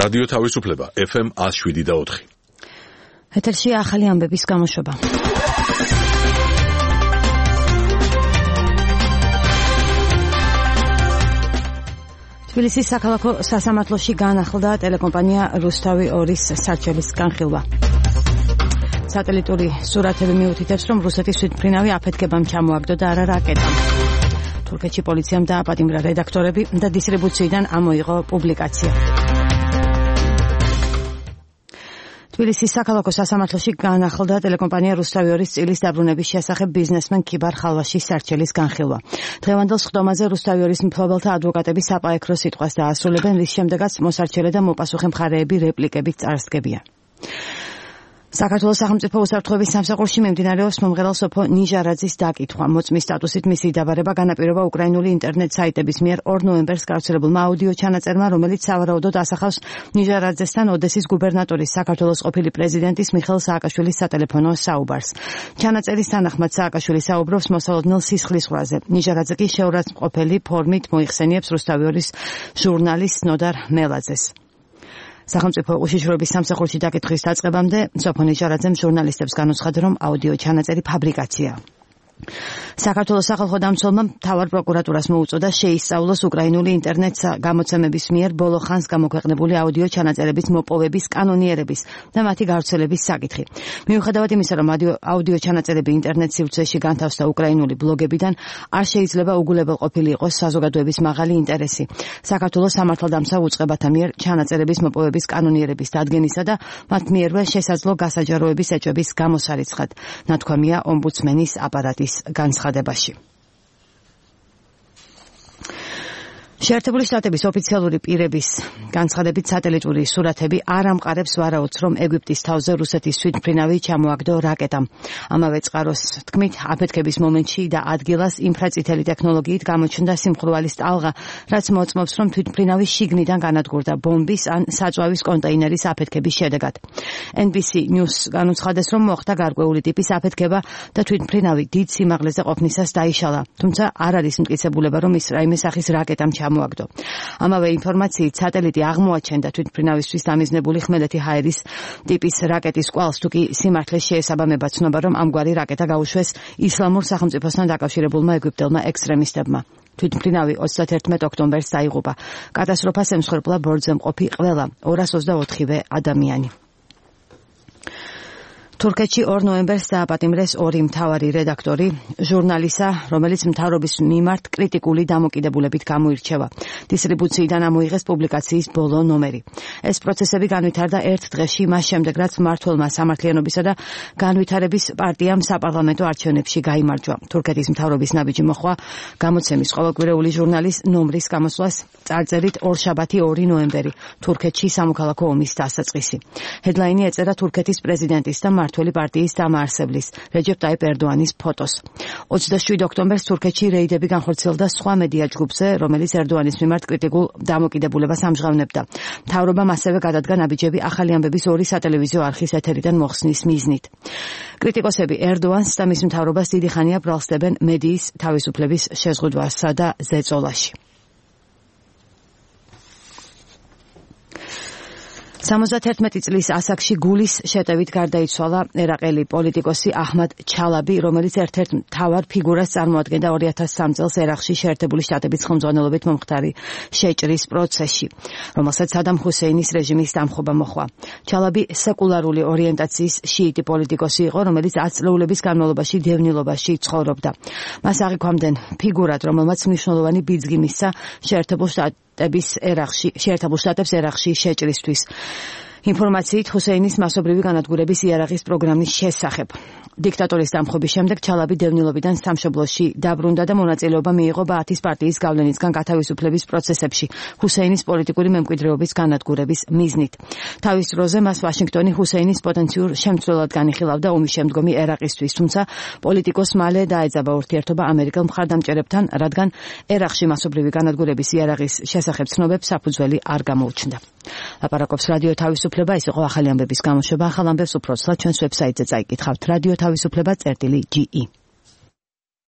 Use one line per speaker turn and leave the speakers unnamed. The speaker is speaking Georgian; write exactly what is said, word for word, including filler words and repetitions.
რადიო თავისუფლება ეფ ემ ათს შვიდი და ოთხი.
ეთერში ახალი ამბების გამოშვება. თბილისის საქალაქო სასამართლოში განახლდა ტელეკომპანია რუსთავი ორის სარჩელის განხილვა. სატელიტური სურათები მიუთითებს, რომ რუსეთის თვითმფრინავი აფეთქებამ ჩამოაგდო და არა რაკეტამ. თურქეთში პოლიციამ დააპატიმრა რედაქტორები და დისტრიბუციიდან ამოიღო პუბლიკაცია. თბილისის საქალაქო სასამართლოში განახლდა ტელეკომპანია რუსთავი ორის წილის დაბრუნების შესახებ ბიზნესმენ ქიბარ ხალვაშის სარჩელის განხილვა. დღევანდელ სხდომაზე რუსთავი ორის მფლობელთა ადვოკატები საპაექრო სიტყვას დაასრულებენ, რის შემდეგაც მოსარჩელე და მოპასუხე მხარეები რეპლიკებით წარსდგებიან. საქართველოს სახელმწიფო უსაფრთხოების სამსახურში მიმდინარეობს მომღერალ სოფო ნიჟარაძის დაკითხვა. მოწმის სტატუსით მისი დაბარება განაპირობა უკრაინული ინტერნეტ საიტების მიერ ორ ნოემბერს გავრცელებულმა აუდიო ჩანაწერმა, რომელიც სავარაუდოდ ასახავს ნიჟარაძესთან ოდესის გუბერნატორის, საქართველოს ყოფილი პრეზიდენტის მიხეილ სააკაშვილის სატელეფონო საუბარს. ჩანაწერის თანახმად სააკაშვილი საუბრობს მოსალოდნელ სისხლის ზღვაზე. ნიჟარაძე კი შეურაცხმყოფელი ფორმით მოიხსენიებს რუსთავი ორის ჟურნალისტ ნოდარ მელაძეს. სახელმწიფო უშიშროების სამსახურში დაკითხვის დაწყებამდე სოფო ნიჟარაძემ ჟურნალისტებს განუცხადა, რომ აუდიო ჩანაწერი ფაბრიკაციაა. საქართველოს სახალხო დამცველმა მთავარ პროკურატურას მოუწოდა შეისწავლოს უკრაინული ინტერნეტ გამოცემების მიერ ბოლო ხანს გამოქვეყნებული აუდიო ჩანაწერების მოპოვების კანონიერების და მათი გავრცელების საკითხი. მიუხედავად იმისა, რომ აუდიო ჩანაწერები ინტერნეტ სივრცეში განთავსდა უკრაინული ბლოგებიდან, არ შეიძლება უგულებელ ყოფილი იყოს საზოგადოების მაღალი ინტერესი. საქართველოს სამართალდამცავ უწყებათა მიერ ჩანაწერების მოპოვების კანონიერების დადგენისა და მათ მიერვე შესაძლო გასაჯაროების ეჭვების გამოსარიცხად, ნათქვამია ომბუდსმენის აპარატის განცხადებაში. შეერთებული შტატების ოფიციალური პირების განცხადებით სატელიტური სურათები არ ამყარებს ვარაუდს, რომ ეგვიპტის თავზე რუსეთის თვითმფრინავი ჩამოაგდო რაკეტამ. ამავე წყაროს თქმით, აფეთქების მომენტში და ადგილას ინფრაწითელი ტექნოლოგიით გამოჩნდა სიმხურვალის ტალღა, რაც მოწმობს, რომ თვითმფრინავი შიგნიდან განადგურდა ბომბის ან საწვავის კონტეინერის აფეთქების შედეგად. ენ ბი სი News განუცხადეს, რომ მოხდა გარკვეული ტიპის აფეთქება და თვითმფრინავი დიდ სიმაღლეზე ყოფნისას დაიშალა, თუმცა არ არის მტკიცებულება, რომ ის რაიმე სახის რაკეტამ ჩამოაგდო. ამავე ინფორმაციით სატელიტი აღმოაჩენდა თვითმფრინავისთვის დამიზნებული ხმელეთი ჰაერის ტიპის რაკეტის კვალს, თუ კი სიმართლეს შეესაბამება ცნობა, რომ ამგვარი რაკეტა გაუშვეს ისლამურ სახელმწიფოსთან დაკავშირებულმა ეგვიპტელმა ექსტრემისტებმა. თვითმფრინავი ოცდაათერთმეტ ოქტომბერს დაიღუპა. კატასტროფას ემსხვერპლა ბორცვზე მყოფი ყველა ორას ოცდაოთხივე ადამიანი. თურქეთში ორ ნოემბერს დააპატიმრეს ორი მთავარი რედაქტორი ჟურნალისა, რომელიც მთავრობის მიმართ კრიტიკული დამოკიდებულებით გამოირჩევა. დისტრიბუციიდან ამოიღეს პუბლიკაციის ბოლო ნომერი. ეს პროცესები განვითარდა ერთ დღეში, მას შემდეგ, რაც მმართველმა სამართლიანობისა და განვითარების პარტიამ საპარლამენტო არჩევნებში გაიმარჯვა. თურქეთის მთავრობის ნაბიჯი მოხვა გამოცემის ყოველკვირეული ჟურნალის ნომრის გამოსვლას წარწერით ორშაბათი ორი ნოემბერი, თურქეთში სამოქალაქო ომის დასაწყისი. ჰედლაინი ეწერა თურქეთის პრეზიდენტის და მმართველი პარტიის დამაარსებლის რეჯეპ ტაიპ ერდოანის ფოტოს. ოცდაშვიდ ოქტომბერს თურქეთში რეიდები განხორციელდა სხვა მედია ჯგუფზე, რომელიც ერდოანის მიმართ კრიტიკულ დამოკიდებულებას ამჟღავნებდა. მთავრობამ ასევე გადადგა ნაბიჯები ახალი ამბების ორი სატელევიზიო არხის ეთერიდან მოხსნის მიზნით. კრიტიკოსები ერდოანს და მის მთავრობას დიდი ხანია ბრალსდებენ მედიის თავისუფლების შეზღუდვასა და ზეწოლაში. სამოცდაათერთმეტი წლის ასაკში გულის შეტევით გარდაიცვალა ერაყელი პოლიტიკოსი აჰმად ჩალაბი, რომელიც ერთ-ერთ მთავარ ფიგურას წარმოადგენდა ორი ათას სამ წელს ერაყში შეერთებული შტატების ხელმძღვანელობით მომხდარი შეჭრის პროცესში, რომელსაც სადამ ჰუსეინის რეჟიმის დამხობა მოჰყვა. ჩალაბი სეკულარული ორიენტაციის შიიტი პოლიტიკოსი იყო, რომელიც ათ წლეულების განმავლობაში დევნილობაში ცხოვრობდა. მას აღიქვამდნენ ფიგურად, რომელმაც მნიშვნელოვანი ბიძგი მისცა შეერთებულ შტატ ერაყში, შეერთებულ შტატებს ერაყში შეჭრისთვის. ინფორმაციით ჰუსეინის მასობრივი განადგურების იარაღის პროგრამის შესახებ. დიქტატორის დამხობის შემდეგ ჩალაბი დევნილობიდან სამშობლოში დაბრუნდა და მონაწილეობა მიიღო ბაათის პარტიის გავლენისგან გათავისუფლების პროცესებში ჰუსეინის პოლიტიკური მემკვიდრეობის განადგურების მიზნით. თავის დროზე მას ვაშინგტონი ჰუსეინის პოტენციურ შემცვლელად განიხილავდა ომის შემდგომი ერაყისთვის, თუმცა პოლიტიკოს მალე დაეძაბა ურთიერთობა ამერიკელ მხარდამჭერებთან, რადგან ერაყში მასობრივი განადგურების იარაღის შესახებ ცნობებს საფუძველი არ გამოუჩნდა. ლაპარაკობს რადიო თავისუფლება, ეს იყო ახალი ამბების გამოშვება. ახალ ამბებს უფრო ცლად ჩვენს ვებსაიტზე წაიკითხავთ. რადიო თავისუფლება წერტილი ჯი ი.